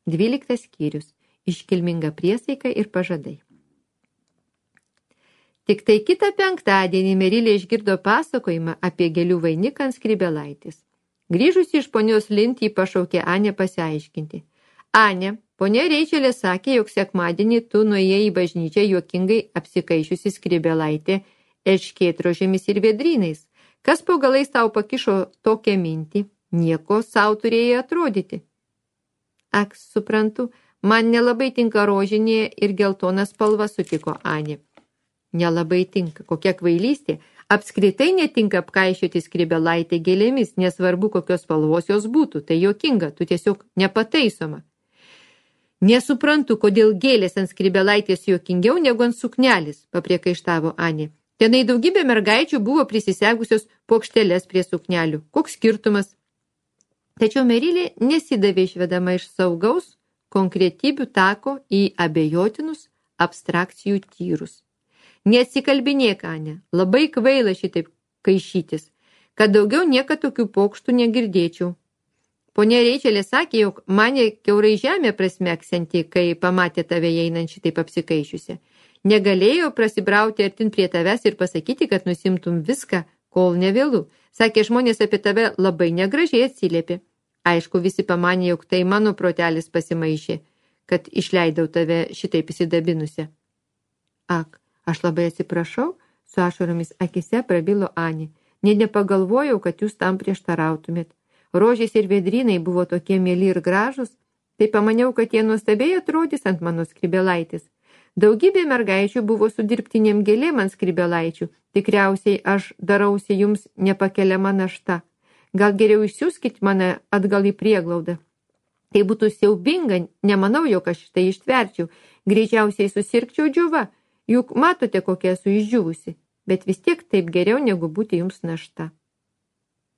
12 skyrius. Iškilminga priesaika ir pažadai. Tik tai kitą penktadienį Merilė išgirdo pasakojimą apie gėlių vainiką ant skrybėlaitės. Grįžusi iš ponios Lind, jį pašaukė Anę pasiaiškinti. Anė, ponia Reičelė sakė, jog sekmadienį tu nuėjai į bažnyčią juokingai apsikaišiusi skrybėlaitė erškėtrožėmis ir vėdrynais. Kas po galais tau pakišo tokią mintį? Nieko sau turėjai atrodyti. Ak, suprantu, man nelabai tinka rožinė ir geltona spalva, sutiko Anė. Nelabai tinka, kokia kvailystė. Apskritai netinka apkaišioti skrybėlaitę gėlėmis, nesvarbu kokios spalvos jos būtų. Tai juokinga, tu tiesiog nepataisoma. Nesuprantu, kodėl gėlės ant skrybėlaitės juokingiau negu ant suknelis, papriekaištavo Anė. Tenai daugybė mergaičių buvo prisisegusios pokšteles prie suknelių. Koks skirtumas? Tačiau Merilė nesidavė išvedama iš saugaus konkretybių tako į abejotinus abstrakcijų tyrus. Neatsikalbinėk, Anė, labai kvaila šitaip kaišytis, kad daugiau niekad tokių pokštų negirdėčiau. Ponia Reičelė sakė, jog mane kiaurai žemė prasmeksanti, kai pamatė tave einant šitaip apsikaišiusi. Negalėjo prasibrauti artin prie tavęs ir pasakyti, kad nusimtum viską, kol nevėlu. Sakė, žmonės apie tave labai negražiai atsiliepė. Aišku, visi pamanė, jog tai mano protelis pasimaišė, kad išleidau tave šitaip įsidabinusią. Ak, aš labai atsiprašau, su ašaromis akise prabilo Anė. Nepagalvojau, kad jūs tam prieštarautumėt. Rožės ir vėdrynai buvo tokie mieli ir gražus, tai pamaniau, kad jie nuostabiai atrodys ant mano skrybėlaitės. Daugybė mergaičių buvo su dirbtinėm gėlėm ant skrybėlaičių. Tikriausiai aš darausi jums nepakeliama našta. Gal geriau išsiųskit mane atgal į prieglaudą. Tai būtų siaubinga, nemanau, jog aš tai ištverčiau. Greičiausiai susirgčiau džiuva, juk matote, kokia esu išdžiūvusi, bet vis tiek taip geriau negu būti jums našta.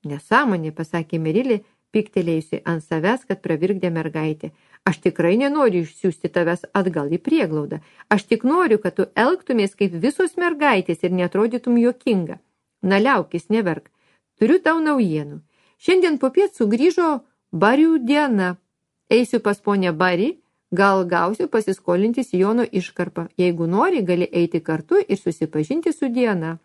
Nesąmonė, pasakė Merilė, piktelėjusi ant savęs, kad pravirkdė mergaitė. Aš tikrai nenoriu išsiųsti tavęs atgal į prieglaudą. Aš tik noriu, kad tu elgtumės kaip visos mergaitės ir neatrodytum juokinga. Na liaukis, neverk. Turiu tau naujienų. Šiandien popiet sugrįžo Barių diena. Eisiu pas ponę Barį, gal gausiu pasiskolinti sijono iškarpą. Jeigu nori, gali eiti kartu ir susipažinti su diena.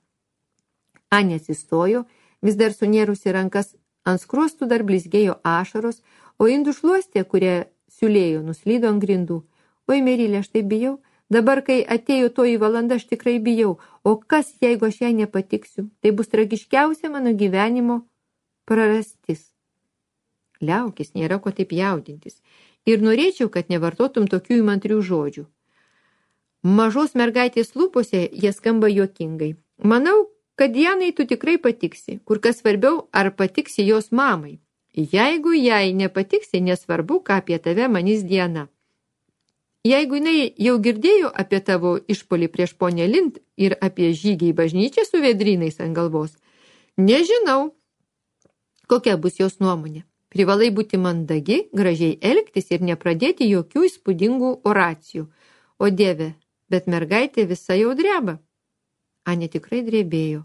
Anė atsistojo, vis dar sunėrusi rankas, ant skruostų dar blizgėjo ašaros, o indų šluostė, kurie siūlėjo, nuslydo ant grindų. Oi, Merilė, aš tai bijau. Dabar, kai atėjo toji valanda, aš tikrai bijau. O kas, jeigu aš jai nepatiksiu? Tai bus tragiškiausia mano gyvenimo prarastis. Liaukis, nėra ko taip jaudintis. Ir norėčiau, kad nevartotum tokių įmantrių žodžių. Mažos mergaitės lūpose jie skamba juokingai. Manau, kad Dianai tu tikrai patiksi. Kur kas svarbiau, ar patiksi jos mamai. Jeigu jai nepatiksi, nesvarbu, ką apie tave manys Diana. Jeigu jinai jau girdėjo apie tavo išpolį prieš ponę Lind ir apie žygį į bažnyčią su vėdrynais ant galvos, nežinau, kokia bus jos nuomonė. Privalai būti mandagi, gražiai elgtis ir nepradėti jokių įspūdingų oracijų. O Dieve, bet mergaitė visa jau dreba. Anė tikrai drebėjo.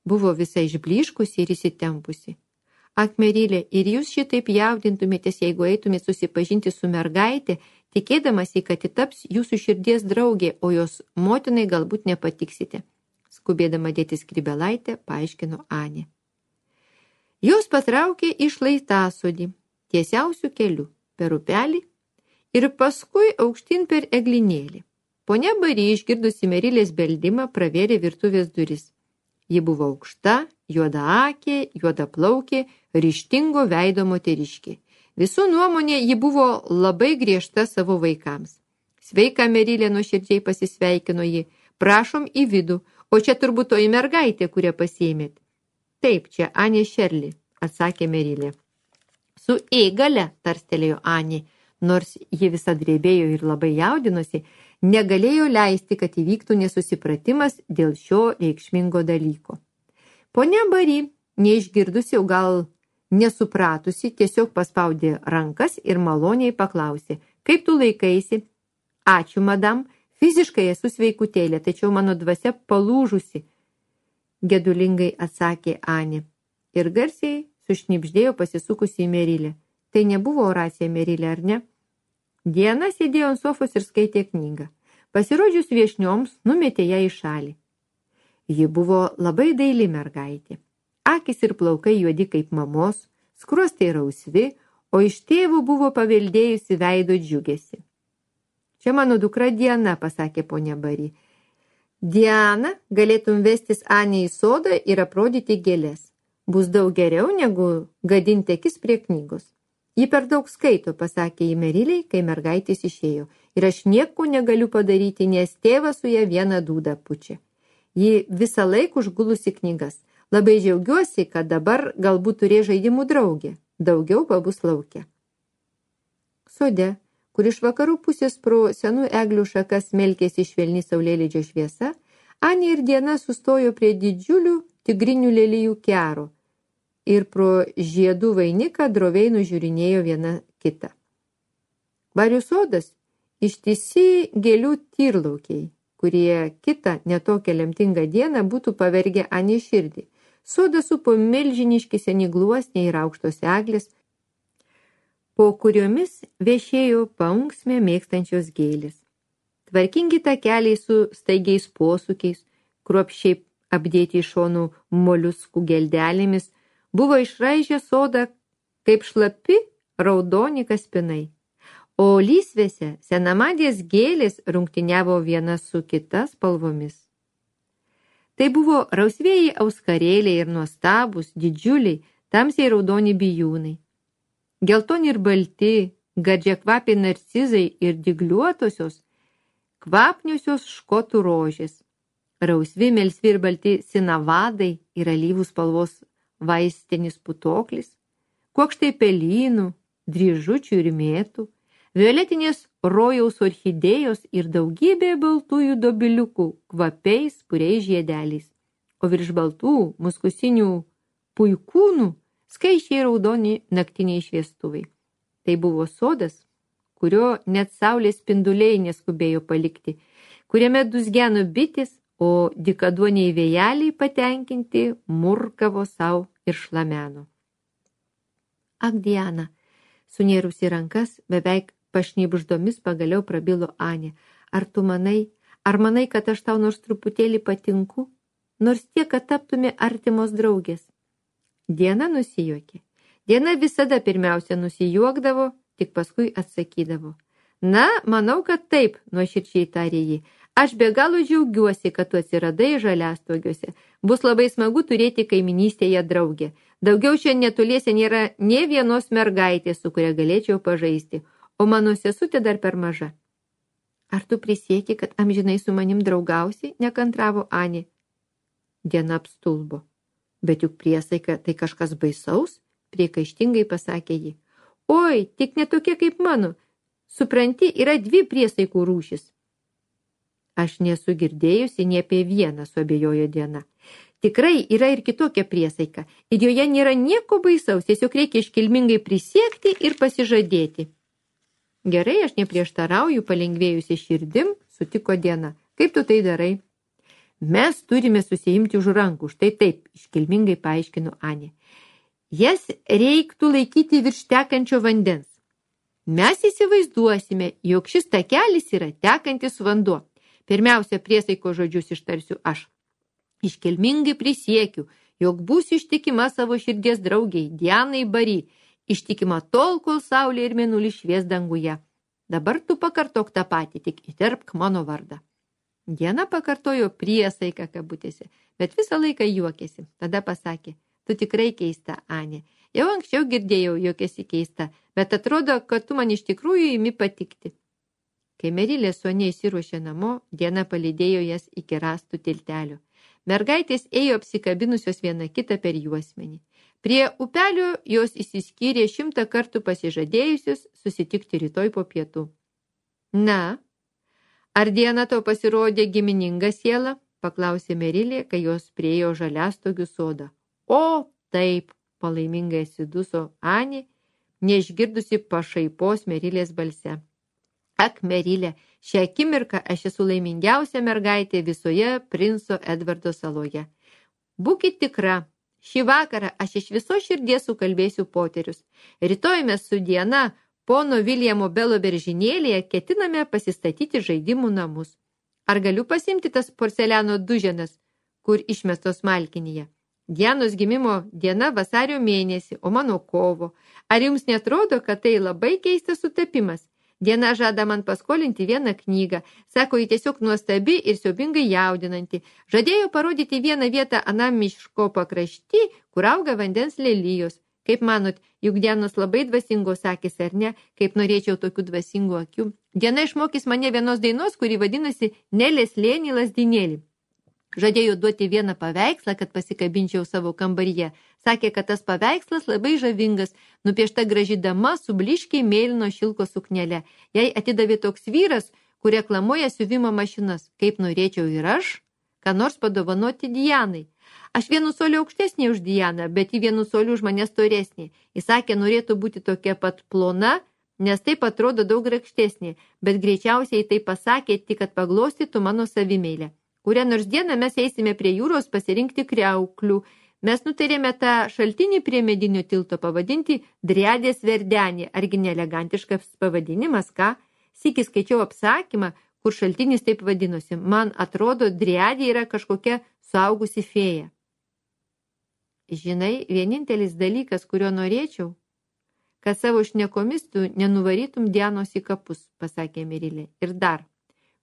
Buvo visa išblyškusi ir įsitempusi. Ak, Merilė, ir jūs šitaip jaudintumėtės, jeigu eitumėt susipažinti su mergaitė, tikėdamasi, kad taps jūsų širdies draugė, o jos motinai galbūt nepatiksite. Skubėdama dėti skrybėlaitę, paaiškino Anė. Jos patraukė į šlaitasodį, tiesiausių kelių, per upelį ir paskui aukštyn per eglinėlį. Ponia Barį, išgirdusi Merilės beldimą, pravėrė virtuvės duris. Ji buvo aukšta, juodaakė, juodaplaukė, ryžtingo veido moteriškė. Visų nuomonė ji buvo labai griežta savo vaikams. Sveika, Merilė, nuoširdžiai pasisveikino ji. Prašom į vidų, o čia turbūt toji mergaitė, kurią pasiėmėt. Taip, čia Anė Šerli, atsakė Merilė. Su gale, tarstelėjo Anė, nors ji visa drebėjo ir labai jaudinosi, negalėjo leisti, kad įvyktų nesusipratimas dėl šio reikšmingo dalyko. Ponia Barį, neišgirdusi, o gal nesupratusi, tiesiog paspaudė rankas ir maloniai paklausė, kaip tu laikaisi? Ačiū, madam, fiziškai esu sveikutėlė, tačiau mano dvasia palūžusi, gedulingai atsakė Anė. Ir garsiai sušnibždėjo pasisukusi į Merilę. Tai nebuvo oracija, Merilė, ar ne? Diana sėdėjo ant sofos ir skaitė knygą. Pasirodžius viešnioms, numetė ją į šalį. Ji buvo labai daili mergaitė. Akys ir plaukai juodi kaip mamos, skruostai rausvi, o iš tėvų buvo paveldėjusi veido džiugesi. Čia mano dukra Diana, pasakė ponia Bari. Diana, galėtum vestis Anę į sodą ir aprodyti gėlės. Bus daug geriau negu gadinti akis prie knygos. Ji per daug skaito, pasakė į Meriliai, kai mergaitės išėjo. Ir aš nieko negaliu padaryti, nes tėvas su ją vieną dūdą pučia. Ji visą laiką užgulusi knygas. Labai džiaugiuosi, kad dabar galbūt turės žaidimų draugė. Daugiau pabus lauke. Sode, kur iš vakarų pusės pro senų eglių šakas melkėsi švelni saulėlydžio šviesa, Anė ir Diana sustojo prie didžiulių tigrinių lelijų kero ir pro žiedų vainiką droviai nužiūrinėjo viena kitą. Barių sodas ištisi gėlių tyrlaukiai, kurie kitą netokią lemtingą dieną būtų pavergę Anė širdį. Sodą supo milžiniški seni gluosniai ir aukštos eglės, po kuriomis viešėjo paunksmę mėgstančios gėlės. Tvarkingi takeliai su staigiais posūkiais, kruopščiai apdėti iš šonų moliuskų geldelėmis, buvo išraižę sodą kaip šlapi raudoni kaspinai. O lysvėse senamadės gėlės rungtyniavo viena su kita spalvomis. Tai buvo rausvieji auskarėliai ir nuostabūs, didžiuliai, tamsiai raudoni bijūnai. Geltoni ir balti, gardžiakvapiai narcizai ir dygliuotosios, kvapniosios škotų rožės. Rausvi, melsvi ir balti sinavadai ir alyvų spalvos vaistinis putoklis, kuokštai pelynų, dryžučių ir mėtų, violetinės rojaus orchidėjos ir daugybė baltųjų dobiliukų kvapiais puriais žiedeliais, o virš baltų muskusinių puikūnų skaičiai raudoni naktiniai šviestuvai. Tai buvo sodas, kurio net saulės spinduliai neskubėjo palikti, kuriame dūzgeno bitės, o dykaduoniai vėjeliai patenkinti murkavo savo ir šlameno. Ak, Diana, sunėrusi rankas, beveik pašnibždomis pagaliau prabilo Anė. Ar manai, kad aš tau nors truputėlį patinku, nors tiek, kad taptume artimos draugės? Diana nusijuokė. Diana visada pirmiausia nusijuokdavo, tik paskui atsakydavo. Na, manau, kad taip, nuoširdžiai tarė ji. Aš be galo džiaugiuosi, kad tu atsiradai žaliastogiuose. Bus labai smagu turėti kaiminystėje draugę. Daugiau čia netoliese nėra nė vienos mergaitės, su kuria galėčiau pažaisti, o mano sesutė dar per maža. Ar tu prisieki, kad amžinai su manim draugausi? Nekantravo Anė. Diana apstulbo. Bet juk priesaika tai kažkas baisaus, priekaištingai pasakė ji. Oi, tik netokia kaip mano. Supranti, yra 2 priesaikų rūšis. Aš nesu girdėjusi nie apie vieną, suabejojo Diana. Tikrai yra ir kitokia priesaika, ir joje nėra nieko baisaus, tiesiog reikia iškilmingai prisiekti ir pasižadėti. Gerai, aš neprieštarauju, palengvėjusi širdim, sutiko Diana. Kaip tu tai darai? Mes turime susiimti už rankų, štai taip, iškilmingai paaiškino Anė. Jas reiktų laikyti virš tekančio vandens. Mes įsivaizduosime, jog šis takelis yra tekantis vanduo. Pirmiausia, priesaiko žodžius ištarsiu aš. Iškilmingai prisiekiu, jog būsiu ištikima savo širdies draugiai, Dianai Bari, ištikima tol, kol saulė ir mėnulis švies danguje. Dabar tu pakartok tą patį, tik įterpk mano vardą. Diana pakartojo priesaiką kabutėse, bet visą laiką juokėsi. Tada pasakė, tu tikrai keista, Anė. Jau anksčiau girdėjau, jog esi keista, bet atrodo, kad tu man iš tikrųjų imi patikti. Kai Merilė su Ane įsiruošė namo, Diana palydėjo jas iki rąstų tiltelio. Mergaitės ėjo apsikabinusios viena kitą per juosmenį. Prie upelio jos išsiskyrė 100 kartų pasižadėjusius susitikti rytoj po pietų. Na, ar Diana tau pasirodė gimininga siela? Paklausė Merilė, kai jos priėjo žaliastogių sodą. O, taip, palaimingai atsiduso Anė, neišgirdusi pašaipos Merilės balse. Ak, Merilė, šią akimirką aš esu laimingiausia mergaitė visoje princo Edvardo saloje. Būkit tikra, šį vakarą aš iš viso širdies sukalbėsiu poterius. Rytoj mes su Diana pono Viljamo Belo beržinėlėje ketiname pasistatyti žaidimų namus. Ar galiu pasimti tas porceliano duženas, kur išmestos Malkinyje? Dianos gimimo diena vasario mėnesį, o mano kovo. Ar jums netrodo, kad tai labai keistas sutapimas? Diena žada man paskolinti vieną knygą. Sako, ji tiesiog nuostabi ir siaubingai jaudinanti. Žadėjo parodyti vieną vietą anam miško pakrašty, kur auga vandens lelijos. Kaip manot, juk Dianos labai dvasingos akis, ar ne? Kaip norėčiau tokių dvasingų akių. Diena išmokys mane vienos dainos, kuri vadinasi Nelės lėnį lazdinėlį. Žadėjo duoti vieną paveikslą, kad pasikabinčiau savo kambaryje. Sakė, kad tas paveikslas labai žavingas, nupiešta graži dama su blyškiai mėlyno šilko suknele. Jai atidavė toks vyras, kur reklamuoja siuvimo mašinas. Kaip norėčiau ir aš, ką nors padovanoti Dianai. Aš vienu soliu aukštesnė už Dianą, bet ji vienu soliu už mane storesnė. Jis sakė, norėtų būti tokia pat plona, nes taip atrodo daug grakštesnė, bet greičiausiai tai pasakė tik, kad paglostytų mano savimeilę. Kurią nors dieną mes eisime prie jūros pasirinkti kriauklių. Mes nutarėme tą šaltinį prie medinio tilto pavadinti Driadės verdenį. Argi neelegantiškas pavadinimas, ką? Sykį skaičiau apsakymą, kur šaltinis taip vadinosi. Man atrodo, Driadė yra kažkokia suaugusi fėja. Žinai, vienintelis dalykas, kurio norėčiau, kad savo šnekomis tu nenuvarytum Dianos į kapus, pasakė Merilė. Ir dar,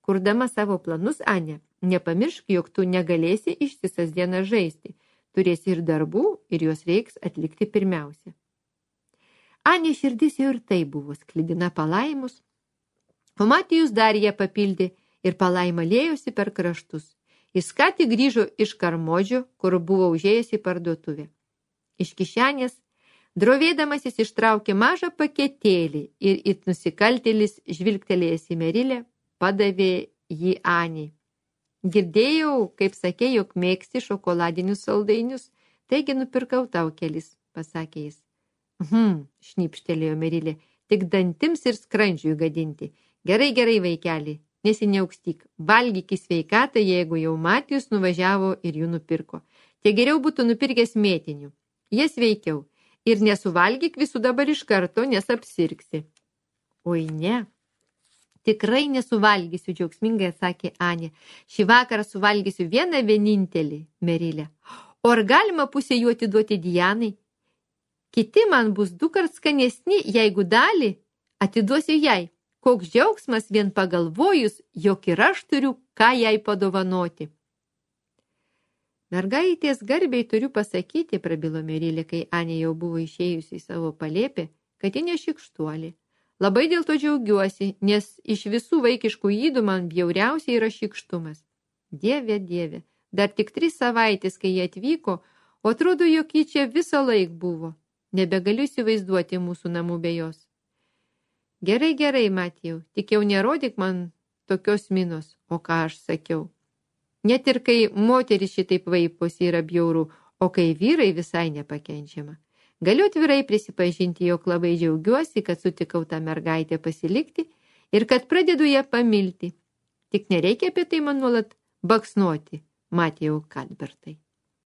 kurdama savo planus, Ane, nepamiršk, jog tu negalėsi ištisas dienas žaisti. Turėsi ir darbų, ir juos reiks atlikti pirmiausia. Anė širdis jau ir tai buvo sklidina palaimus, o Matijus dar ją papildė ir palaima lėjosi per kraštus. Jis ką tik grįžo iš Karmodžio, kur buvo užėjęs į parduotuvę. Iš kišenės, drovėdamas jis ištraukė mažą paketėlį ir it nusikaltėlis žvilgtelėjęs į Merilę, padavė jį Anei. Girdėjau, kaip sakė, jog mėgsti šokoladinius saldainius, taigi nupirkau tau kelis, pasakė jis. Šnipštelėjo Merilė, tik dantims ir skrandžiui gadinti. Gerai, vaikeli, nesiniaukstyk, valgyk į sveikatą, jeigu jau Matijus nuvažiavo ir jų nupirko. Tie geriau būtų nupirkęs mėtinių. Jie sveikiau. Ir nesuvalgyk visų dabar iš karto, nes apsirgsi. Oi ne. Tikrai nesuvalgysiu, džiaugsmingai atsakė Anė. Šį vakarą suvalgysiu vienintelį, Merilė. O ar galima pusę jų atiduoti Dianai? Kiti man bus 2 kart skanesni, jeigu dalį atiduosiu jai. Koks džiaugsmas vien pagalvojus, jog ir aš turiu, ką jai padovanoti. Mergaitės garbiai turiu pasakyti, prabilo Merilė, kai Anė jau buvo išėjusi į savo palėpę, kad ji nešikštuolė. Labai dėl to džiaugiuosi, nes iš visų vaikiškų ydų man bjauriausiai yra šykštumas. Dieve, dar tik 3 savaitės, kai jie atvyko, o atrodo, jog ji čia visą laik buvo. Nebegaliu įsivaizduoti mūsų namų be jos. Gerai, Matijau, tik jau nerodyk man tokios minos, o ką aš sakiau. Net ir kai moteris šitaip vaiposi yra bjauru, o kai vyrai visai nepakenčiama. Galiu atvirai prisipažinti, jog labai džiaugiuosi, kad sutikau tą mergaitę pasilikti ir kad pradedu ją pamilti. Tik nereikia apie tai man nuolat baksnuoti, Matijau Kadbertai.